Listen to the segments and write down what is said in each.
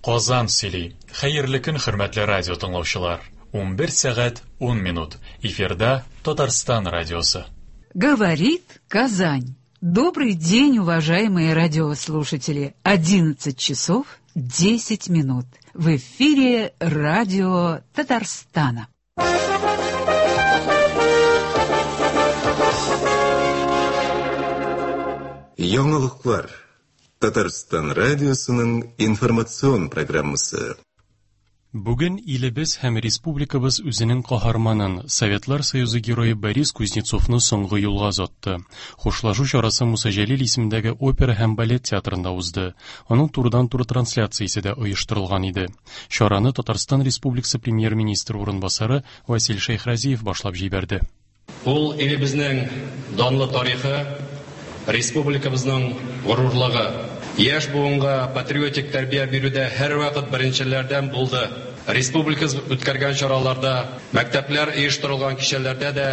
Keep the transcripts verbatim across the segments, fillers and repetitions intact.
Казан сөйли. Хәерле көн, хөрмәтле радио тыңлаучылар. Унбер сәгать ун минут. Эфирда Татарстан радиосы. Говорит Казань. Добрый день, уважаемые радиослушатели. Одиннадцать часов десять минут. В эфире радио Татарстана. Яңалыклар. Татарстан радиосының информацион программасы. Бүген илебез һәм республикабыз үзенең каһарманын, Советлар Союзы герое Борис Кузнецовны соңгы юлга озатты. Хушлашу чарасы Муса Җәлил исемендәге опера һәм балет театрында узды. Аның турыдан-туры трансляциясе дә оештырылган иде. Чараны Татарстан Республикасы премьер-министры урынбасары Василь Шәйхразиев башлап җибәрде. Ул илебезнең данлы тарихы, республикабызның горурлыгы. Яшь буынга патриотик тәрбия бирүдә һәрвакыт беренчеләрдән булды. Республикабыз үткәргән чараларда, мәктәпләр оештырылган кичәләрдә дә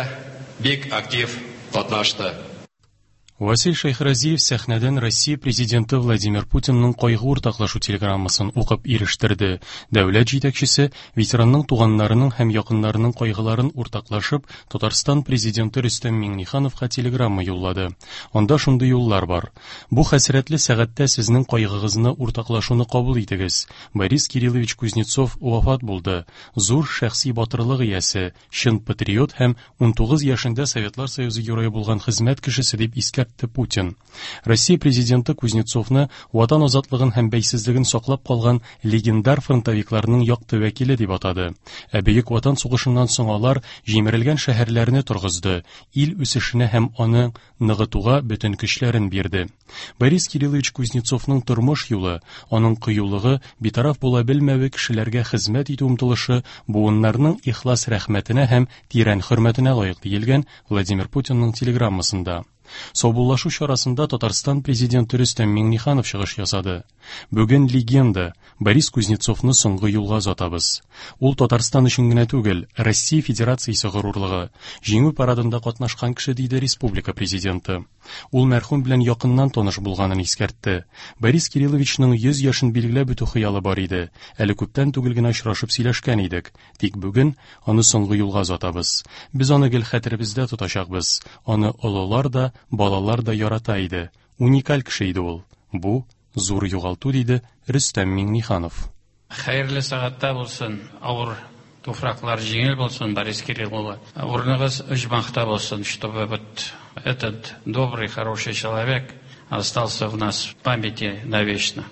бик актив катнашты. Василь Шәйхразиев сәхнәдән Россия президенты Владимир Путинның кайгы уртаклашу телеграммасын укып ирештерде. Дәүләт җитәкчесе ветеранның туганнарының һәм якыннарының кайгыларын уртаклашып, Татарстан президенты Рөстәм Миңнехановка телеграмма юллады. Анда шундый юллар бар. Бу хәсрәтле сәгатьтә сезнең кайгыгызны уртаклашуны кабул итегез. Борис Кириллович Кузнецов вафат булды. Зур шәхси батырлык иясе, чын патриот һәм унтугыз яшендә Советлар Союзы герое булган хезмәт кешесе дип искәртте Путин. Россия президенты Кузнецовны Ватан азатлыгын һәм бәйсезлеген саклап калган легендар фронтовикларның якты вәкиле дип атады. Ә Бөек Ватан сугышыннан соң алар җимерелгән шәһәрләрне торгызды, ил үсешенә һәм аны ныгытуга бөтен көчләрен бирде. Борис Кириллович Кузнецовның тормыш юлы, аның кыюлыгы, битараф була белмәве, кешеләргә хезмәт итү омтылышы буыннарның ихлас рәхмәтенә һәм тирән хөрмәтенә лаек диелгән Владимир Путинның телеграммасында. Саубуллашу чарасында Татарстан президенты Рөстәм Миңнеханов чыгыш ясады. Бүген легенда Борис Кузнецовны соңгы юлга озатабыз. Ул Татарстан өчен генә түгел, Россия Федерациясе горурлыгы, җиңү парадында катнашкан кеше, диде республика президенты. Ул мәрхүм белән якыннан таныш булганын искәртте. Борис Кирилловичның йөз яшен билгеләп үтү хыялы бар иде. Әле күптән түгел генә очрашып сөйләшкән идек. Тик бүген аны соңгы юлга озатабыз. Без аны гел хәтеребездә тотачакбыз. Аны олылар да, балалар да ярата иде. Уникаль кеше иде ул. Бу зур югалту, диде Рөстәм Миңнеханов. Хәерле сәгатьтә булсын, авыр туфраклар җиңел булсын, Борис Кириллович. Урыныгыз оҗмахта булсын, чтобы вот этот добрый, хороший человек остался в нас в памяти навечно.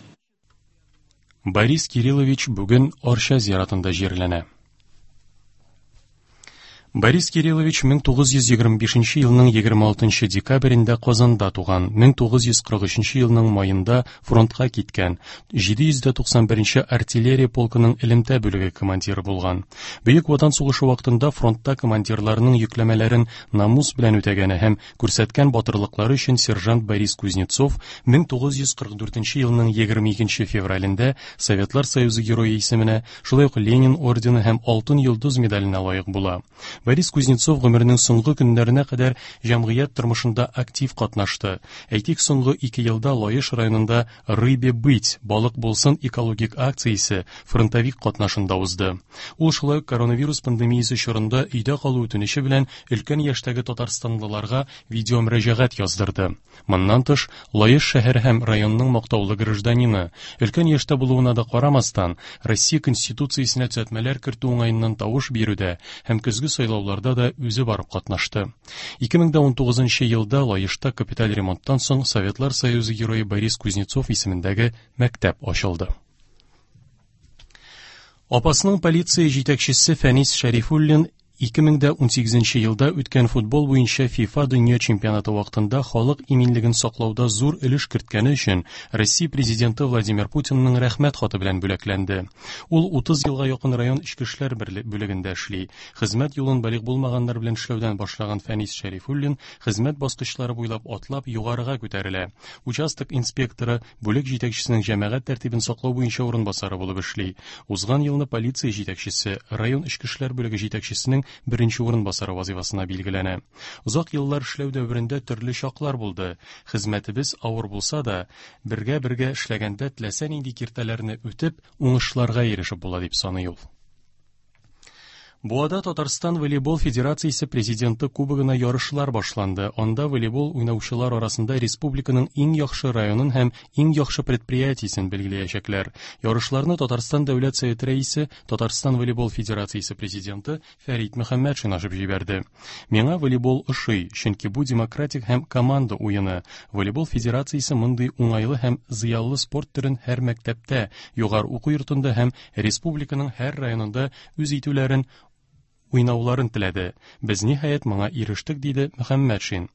Борис Кириллович бүген Арча зиратында җирләнә. Борис Кириллович мең тугыз йөз егерме бишенче елның егерме алтынчы декабрендә Казанда туган, мең тугыз йөз кырык өченче елның майында фронтка киткән, җиде йөз дә туксан беренче артиллерия полкының элемтә бүлеге командиры булган. Бөек Ватан сугышы вакытында фронтта командирларның йөкләмәләрен намус белән үтәгәне һәм күрсәткән батырлыклары өчен сержант Борис Кузнецов мең тугыз йөз кырык дүртенче елның егерме икенче февралендә Советлар Союзы герое исеменә, шулай ук Ленин ордены һәм Алтын йолдыз медаленә лаек була. Борис Кузнецов гомеренең соңгы көннәренә кадәр җәмгыять тормышында актив катнашты. Әйтик, соңгы ике елда Лаеш районында «Рыбе быть» балык булсын экологик акциясе фронтовик катнашында узды. Ул шулай ук коронавирус пандемиясе чорында өйдә калу үтенече белән өлкән яшьтәге татарстанлыларга видеомөрәҗәгать яздырды. Моннан тыш, Лаеш шәһәре һәм районның мактаулы гражданины, өлкән яшьтә булуына да карамастан, Россия Конституциясенә төзәтмәләр кертү уңаеннан тавыш бирүдә һәм көзге сайлауларда да үзе барып катнашты. Ике мең дә унтугызынчы елда Лаешта капиталь ремонттан соң Советлар Союзы герое Борис Кузнецов исемендәге мәктәп ачылды. Апасның полиция җитәкчесе Фәнис Шәрифуллин ике мең дә унсигезенче елда үткән футбол буенча FIFA дөнья чемпионаты вакытында халык иминлеген саклауда зур өлеш керткәне өчен Россия президенты Владимир Путинның рәхмәт хаты белән бүләкләнде. Ул утыз елга якын район эчке эшләр бүлегендә эшли. Хезмәт юлын балигъ булмаганнар белән эшләүдән башлаган Фәнис Шәрифуллин хезмәт баскычлары буйлап атлап югарыга күтәрелә. Участок инспекторы, бүлек җитәкчесенең җәмәгать тәртибен саклау буенча урынбасары булып эшли. Узган елны полиция җитәкчесе, район эчке эшләр бүлеге җитәкчесенең беренче урынбасары вазифасына билгеләнә. Озак еллар эшләү дәверендә төрле чаклар булды. Хезмәтебез авыр булса да, бергә-бергә эшләгәндә теләсә нинди киртәләрне үтеп, уңышларга ирешеп була дип саный ул. Буада Татарстан волейбол федерациясе президенты кубогына ярышлар башланды. Анда волейбол уйнаучылар арасында республиканың иң яхшы районын һәм иң яхшы предприятиесен билгеләячәкләр. Ярышларны Татарстан Дәүләт Советы рәисе, Татарстан волейбол федерациясе президенты Фәрит Мөхәммәтшин ачып җибәрде. Миңа волейбол ошый, чөнки бу демократик һәм команда уены. Волейбол федерациясе мондый уңайлы һәм зыялы спорт төрен һәр мәктәптә, югары уку йортында һәм республиканың һәр районында үз итүләрен уйнауларын теләде. Без ниһаять моңа ирештек, диде Мөхәммәтшин.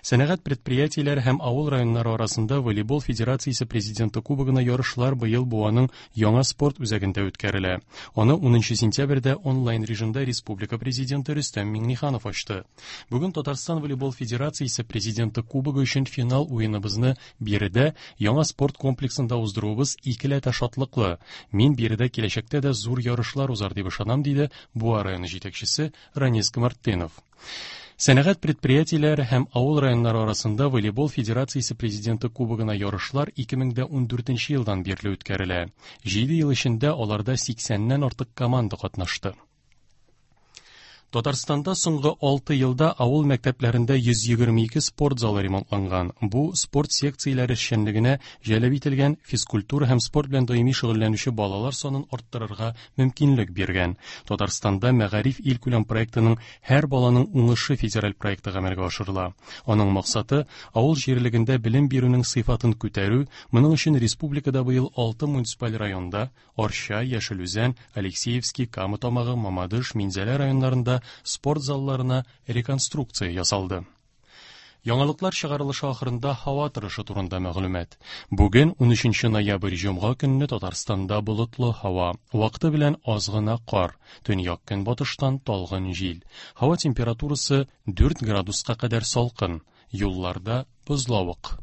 Сәнәгать предприятиеләре һәм авыл районнары арасында волейбол федерациясе президенты кубогына ярышлар быел Буаның яңа спорт үзәгендә үткәрелә. Аны унынчы сентябрьдә онлайн режимда республика президенты Рөстәм Миңнеханов ачты. Бүген Татарстан волейбол федерациясе президенты кубогы өчен финал уеныбызны биредә яңа спорт комплексында уздыруыбыз икеләтә шатлыклы. Мин биредә киләчәктә дә зур ярышлар узар дип ышанам, диде Буа районы җитәкчесе Ранис Гамартдинов. Сәнәгать предприятиеләре һәм авыл районнары арасында волейбол федерациясе президенты кубогына ярышлар ике мең дә ундүртенче елдан бирле үткәрелә. Җиде ел эчендә аларда сиксәннән артык команда катнашты. Татарстанда соңгы алты елда авыл мәктәпләрендә йөз егерме ике спорт залы ремонтланган. Бу спорт секцияләре эшчәнлегенә җәлеп ителгән физкультура һәм спорт белән даими шөгыльләнүче балалар санын арттырырга мөмкинлек биргән. Татарстанда Мәгариф илкүләм проектының Һәр баланың уңышы федераль проекты гамәлгә ашырыла. Аның максаты авыл җирлегендә белем бирүнең сыйфатын күтәрү. Моның өчен республикада быел алты муниципаль районда Арча, Яшел Үзән, Алексеевский, Кама Тамагы, Мамадыш, Минзәлә районнарында спорт залларына реконструкция ясалды. Яңалыклар чыгарылышы ахырында һава торышы турында мәгълүмат. Бүген унөченче ноябрь җомга көнне Татарстанда болытлы һава, вакыты белән аз гына кар, төньяк көнбатыштан талгын җил. Һава температурасы дүрт градуска кадәр салкын, юлларда бозлавык.